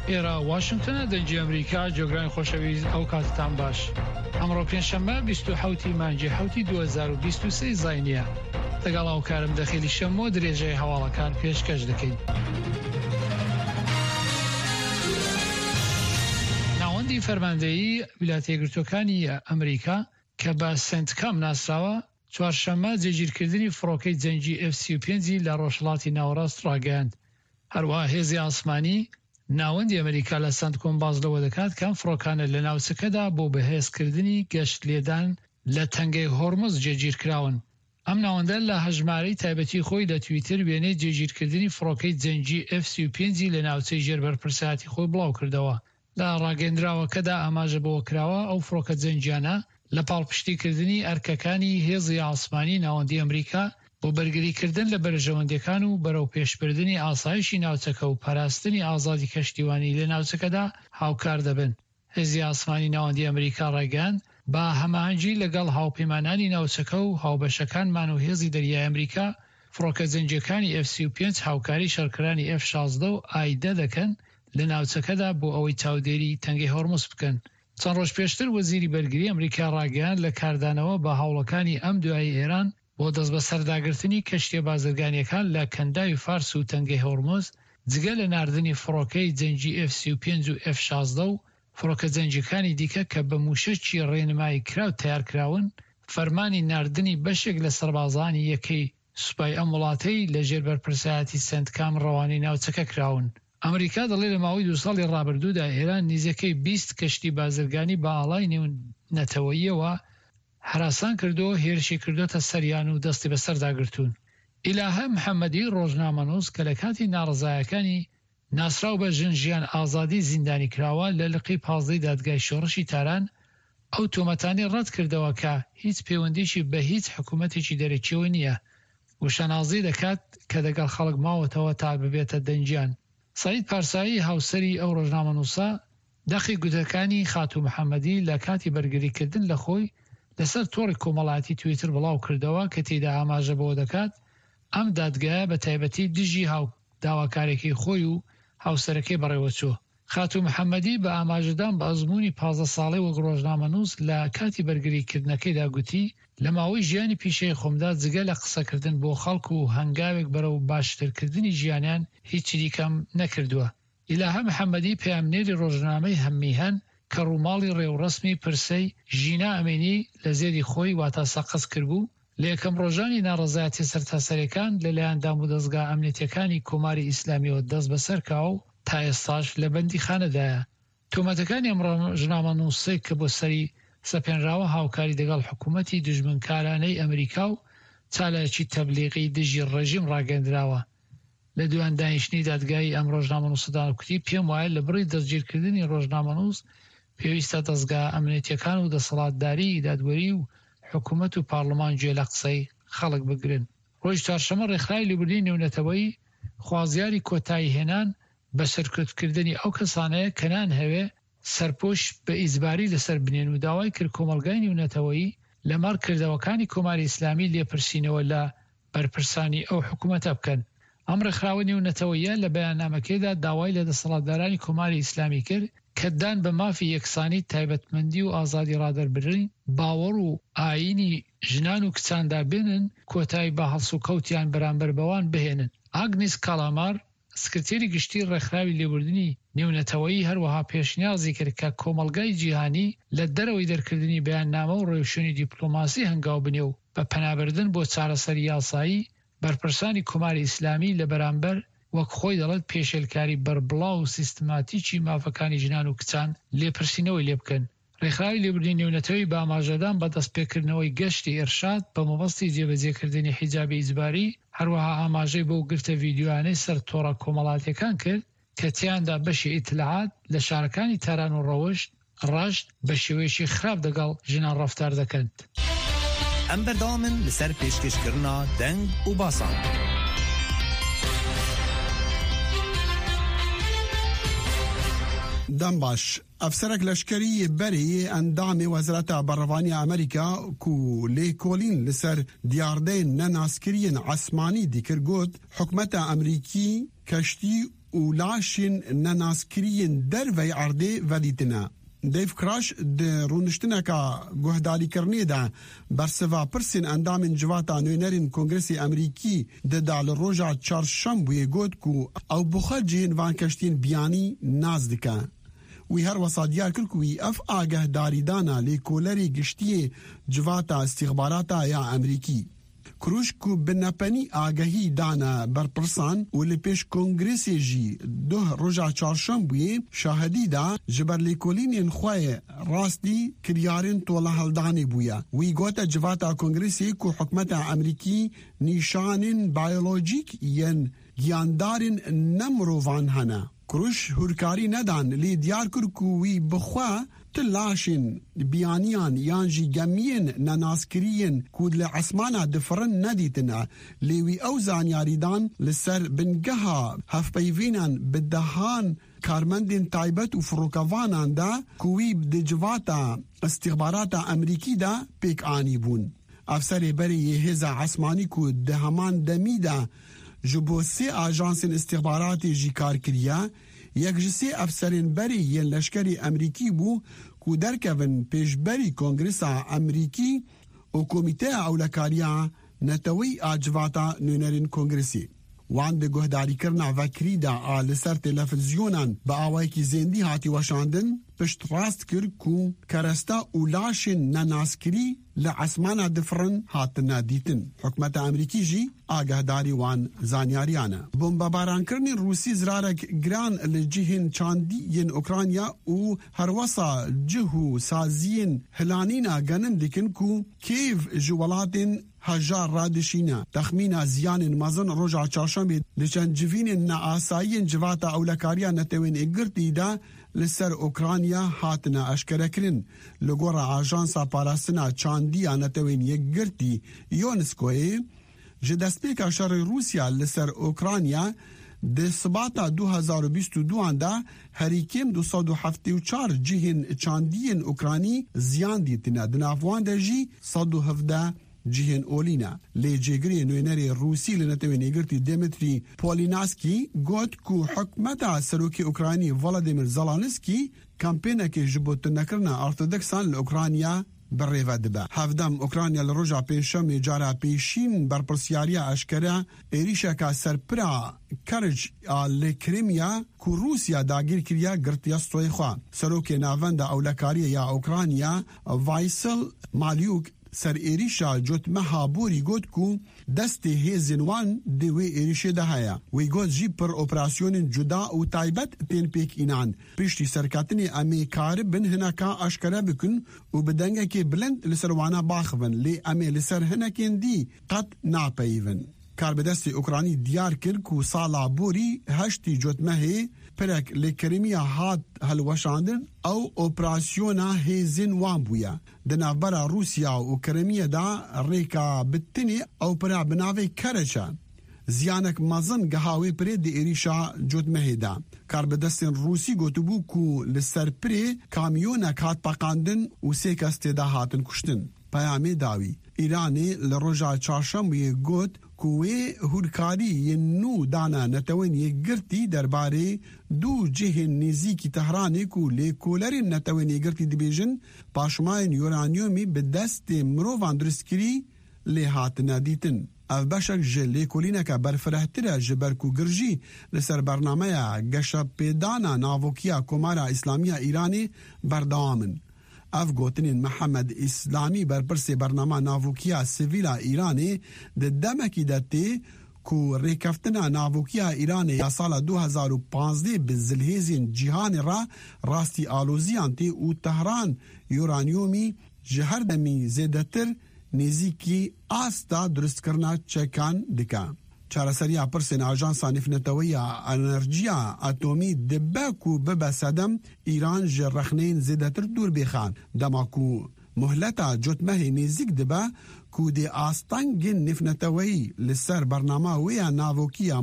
ئێرە واشنگتنە دەنگی ئەمریکا جۆگرانی خۆشەویست ئەو کاتتان باش ئەمڕۆ پێنجشەممە 27 مانگی حوتی 2023 زینیە لەگەڵ هاوکارم دەخیلی شەمۆ درێژەی هەواڵەکان پێشکەش دەکەین. ناوەندی فەرماندەیی ویلایەتە یەکگرتووەکانی ئەمریکا کە بە سێنتکام ناسراوە، چوارشەممە جێگیرکردنی فڕۆکەی جەنگی ئێف 35 ی لە ڕۆژهەڵاتی ناوەڕاست ڕاگەیاند. هەروەها هێزی ئاسمانی ناوەندی ئەمریکا لە سەنتکۆم باس لەوە دەکات کە ئەم فڕۆکانە لە ناوچەکەدا بۆ بەهێزکردنی گەشت لێدان لە تەنگەی هۆرمز جێگیرکراون. ئەم ناوەندە لە هەژمارەی تایبەتی خۆی لە تویتر وێنەی جێگیرکردنی فڕۆکەی جەنگی ئێف 35 ی لە ناوچەی ژێر بەرپرسایەتی خۆی بڵاوکردەوە. لە ڕاگەیەندراوەکەدا ئاماژە بەوەکراوە، ئەو فڕۆکە جەنگیانە لە پاڵپشتیکردنی ئەرکەکانی هێزی ئاسمانی ناوەندی ئەمریکا بۆ بەرگریکردن لە بەرژەوەندیەکان و بەرەوپێشبردنی ئاسایشی ناوچەکە و پاراستنی ئازادی کەشتیوانی لە ناوچەکەدا هاوکار دەبن. هێزی ئاسمانی ناوەندی ئەمریکا ڕایگەیاند، بە هەماهەنگی لەگەڵ هاوپەیمانانی ناوچەکە و هاوبەشەکانمان و هێزی دەریای ئەمریکا، فڕۆکە جەنگییەکانی ئێف 35 هاوکاری شەڕکەرانی ئێف 16 و ئای دە دەکەن لە ناوچەکەدا بۆ ئەوەی چاودێری تەنگەی هۆرمز بکەن. چەند ڕۆژ پێشتر وەزیری بەرگری ئەمریکا ڕایگەیاند، لە کاردانەوە بە هەوڵەکانی ئەم دوایەی ئێران بۆ دەستبەسەرداگرتنی کەشتییە بازرگانییەکان لە کەنداوی فارس و تەنگەی هۆرمز، جگە لە ناردنی فڕۆکەی جەنگی ئێف 35 و ئێف 16 و فڕۆکە جەنگییەکانی دیکە کە بە مووشەکی ڕێنماییکراو تەیارکراون، فەرمانی ناردنی بەشێک لە سەربازانی یەکەی سوپای ئەم وڵاتەی لە ژێر بەرپرسایەتی سێنتکام ڕەوانەی ناوچەکە کراون. ئەمریکا دەڵێ لە ماوەی دوو ساڵی ڕابردوودا ئێران نیزیکەی 20 کەشتی بازرگانی بە ئاڵای نێونەتەوەییەوە هەراسان کردووە، هێرشی کردۆتە سەریان و دەستی بەسەردا گرتوون. ئیلاهە محەمەدی ڕۆژنامەنووس کە لە کاتی ناڕەزایەکانی ناسراو بە ژن ژیان ئازادی زیندانی کراوە، لە لقی پازدەی دادگای شۆڕشی تاران ئەو تۆمەتانەی ڕەت کردەوە کە هیچ پەیوەندیی بە هیچ حکوومەتێکی دەرەکییەوە نییە و شانازی دەکات کە دەگەڵ خەڵک ماوەتەوە تا ببێتە دەنگیان. سەعید پارسایی هاوسەری ئەو ڕۆژنامەنووسە دەقی گوتەکانی خاتوو محەمەدی لە کاتی بەرگریکردن لە خۆی لەسەر تۆڕی کۆمەڵایەتی تویتر بڵاو کردەوە کە تێیدا ئاماژە بەوە دەکات ئەم دادگایە بە تایبەتی دژی هاو داواکارێکی خۆی و هاوسەرەکەی بەڕێوەچووە. خاتوو محەمەدی بە ئاماژەدان بە ئەزموونی 15 ساڵەی وەک ڕۆژنامەنووس لە کاتی بەرگریکردنەکەیدا گوتی، لە ماوەی ژیانی پیشەیی خۆمدا جگە لە قسەکردن بۆ خەڵک و هەنگاوێک بەرەو باشترکردنی ژیانیان هیچی دیکەم نەکردووە. ئیلاهە محەمەدی پەیامنێری ڕۆژنامەی هەممیهەن کە ڕووماڵی ڕێوڕەسمی پرسەی ژینا ئەمینی لە زێدی خۆی واتا سەقز کربوو، لە یەکەم ڕۆژانی ناڕەزایەتیە سەرتاسەریەکان لە لایەن دامودەزگا ئەمنیەتیەکانی کۆماری ئیسلامیەوە دەستبەسەر کراوە و تا ئێستاش لە بەندیخانەدایە. تۆمەتەکانی ئەم ڕۆژنامەنووسەی کە بۆ سەری سەپێنراوە هاوکاری دەگەڵ حکوومەتی دوژمنکارانەی ئەمریکا و چالاکی تەبلیغی دژی ڕێژیم ڕاگەیەندراوە. لە دوایین دانیشتنی دادگایی ئەم ڕۆژنامەنووسەدا کوتی، پێم وایە لە بڕی دەستگیرکردنی ڕۆژنامەنووس پێویستە دەزگا ئەمنیەتیەکان و دەسەڵاتداریی دادوەری و حکوومەت و پارڵمان گوێ لە قسەی خەڵک بگرن. ڕۆژی چوارشەممە ڕێکخراوی لێبوردنی نێونەتەوەیی خوازیاری کۆتاییهێنان بە سەرکوتکردنی ئەو کەسانەیە کە نانهەوێ سەرپۆش بە ئیجباری لەسەر بنێن و داوای کرد کۆمەڵگای نیونەتەوەیی لەمەڕ کردەوەکانی کۆماری ئیسلامی لێپرسینەوە لە بەرپرسانی ئەو حکوومەتە بکەن. ئەم ڕێکخراوە نێونەتەوەییە لە بەیاننامەکەیدا داوای لە دەسەڵاتدارانی کۆماری ئیسلامی کرد کە دان بە مافی یەکسانی، تایبەتمەندی و ئازادی ڕادەربرین، باوەڕ و ئایینی ژنان و کچاندا بێنن، کۆتایی بە هەڵسوکەوتیان بەرامبەر بەوان بهێنن. ئاگنیس کالامار، سکرتێری گشتیی ڕێکخراوی لێبوردنی نێونەتەوەیی هەروەها پێشنیازی کرد کە کۆمەڵگای جیهانی لە دەرەوەی دەرکردنی بەیاننامە و ڕێوشوێنی دیپلۆماسی هەنگاو بنێ و بە پەنابردن بۆ چارەسەری یاسایی بەرپرسانی کۆماری ئیسلامی لە بەرامبەر وەک خۆی دەڵێت پێشێلکاری بەربڵاو و سیستماتیکی مافەکانی ژنان و کچان لێپرسینەوەی لێ بکەن. ڕێکخراوی لێبوردنی نێونەتەوەی بە ئاماژەدان بە دەستپێکردنەوەی گەشتی ئیرشاد بە مەبەستی جێبەجێکردنی حیجابی ئیجباری، هەروەها ئاماژەی بەو گرتە ڤیدیۆیانەی سەر تۆڕە کۆمەڵاتییەکان کرد کە تیایاندا بەشی ئیتلاعات لە شارەکانی تاران و ڕەوشت، ڕەشت، بە شێوەیەکی خراپ دەگەڵ ژنان ڕەفتار دەکەن. ئەم بەردەوامن لەسەر پێشکەشکردنا دەنگ و باسان. دەم باش. ئەفسەرەک لەشکەری یê berê yê endamê Wezareta Berevaniya Amerîka ku lêkolîn li ser diyardeyên nenaskiriyên esmanî dikir got, Hikûmeta Amerîkî keştî. û laşên nenaskiriyên dervey erdê vedîtine. Dave Crush di rûniştineka guhdarîkirinê de bersiva pirsên endamên civata nûnerên Kongresê Amerîkî dida li roja çarşembûyê got ku ew bi xwe cihên van keştiyên biyanî nas dike. Wî her wesa diyar kir ku wî ev agahdarîdana lêkolerê giştiyê civata îstîxbarata ya Amerîkî. Kruş ku bi nepenî agahî dane berpirsan û li pêş Kongresê jî duh roja çarşembûyê şahidî da ji ber lêkolînên xwe rastî kiryarên tolehildanê bûye. Wî gote civata Kongresê ku hikûmeta Amerîkî nîşanên biyolojîk yên giyandarên ne mirovan hene. Kruş hûrkarî nedan lê diyar kir ku wî bi xwe ti laşên biyaniyan yan jî gemiyên nenaskiriyên ku li esmana difirin nedîtine lê wî ew zanyarî dan li ser bingeha hevpeyvînan bi dehan karmendên taybet û firokavanan de ku wî di civata îstîxbarata Amerîkî de pêk anîbûn. Efserê berê yê hêza esmanî ku di heman demî de ji bo sê ajansên îstîxbaratê jî kar kiriye, yek ji sê efserên berê yên leşkerê Amerîkî bû ku derkevin pêşberî Kongresa Amerîkî û Komîteya Ewlekariya Neteweyî a Civata Nûnerên Kongresê. Wan di guhdarîkirina vekirî de a li ser televîzyonan bi awayekî zêndî hatî weşandin, piştrast kir ku keresta û laşên nenaskirî li esmana difirin hatine dîtin. Hikûmeta Amerîkî jî agahdarî wan zanyariyan e. Bombebarankirinên Rûsî zirarek giran li cihên çandî yên Ukrayna û herwesa cih û saziyên hilanîna genim dikin ku Kîev ji welatên hejar re dişîne. Texmîna ziyanên mezin roja çarşembê di çend civînên neasayiyên Civata Ewlekariya Netewên Yekgirtî de li ser Ukrayna hatine eşkerekirin. Li gora Ajansa Parastina Çandî ya Netewên Yekgirtî UNESCO'yê ji destpêka şerê Rûsya li ser Ukrayna di Sibata 2022 de herî kêm 274 cihên çandiyên Ukraynî ziyan dîtine. Di nav wan de jî 117 cihên olî ne. Lê cêgirê nûnerê Rûsî li Netewên Yekgirtî Dmitrî Polinaskî got ku hikûmeta Serokê Ukraynî Volodymyr Zelenskiy kampênekê ji bo tunekirina Ortodoksan li Ukrayna bi rêve dibe. Hevdem Ukrayna li roja pênçşemê cara pêşîn berpirsyariya eşkere êrîşeka serpira Kerç a li Krimiya ku Rûsya dagîr kiriye girtiye stoyê xwe. Serokê Navenda Ewlekariyê ya Ukrayna Vaysel Malyuk ser êrîşa cotmeha borî got ku destê hêzên wan di wê êrîşê de heye. Wî got jî pir operasyonên cuda û taybet tên pêk înan. Piştî serketinê em ê karibin hineka eşkere bikin û bi dengekê bilind li ser wana baxivin lê em ê li ser hinekên dî qet napeyivin. Karbidestê Ukraynî diyar kir ku sala borî heştî cotmehê pirek li Krimiya hat hilweşandin ew operasyona hêzên wan bûye. Di navbera Rûsya û Krimiye de rêka bi tenê ew pira bi navê Kerç e. Ziyanek mezin giha wê pirê di êrîşa cotmehê de. Karbidestên Rûsî gotibû ku li ser pirê kamyonek hat peqandin û sê kes tê de hatin kuştin. Peyamê dawî. Îranê li roja çarşembûyê got ku wê hûrkarî yên nû dana Netewên Yekgirtî derbarê du cihên nêzîkî Tehranê ku lêkolerên Netewên Yekgirtî dibêjin paşmayên uranyumî bi destê mirovan dirustkirî lê hatine dîtin. Ev beşek ji lêkolîneke berfirehtir e ji ber ku girjî li ser bernameya geşepêdana navokiya Komara Îslamiya Îranê berdewam in. Ev gotinên Mihemed Îslamî berpirsê bernama navokiya sivîla Îranê di demekî de tê ku rêkeftina navokiya Îranê ya sala 2015 bi zilhêzên cîhanê re rastî aloziyan tê û Tehran uranyumî ji her demî zêdetir nêzîkî asta dirustkirina çekan dike. Çareseriya pirsên Ajansa Navneteweyî Enerjiya Atomî dibe ku bibe sedem Îran ji rexneyên zêdetir dûr bêxe. Dema ku muhleta cotmehê nêzîk dibe ku dê astengên navneteweyî li ser bernama wê ya navokiya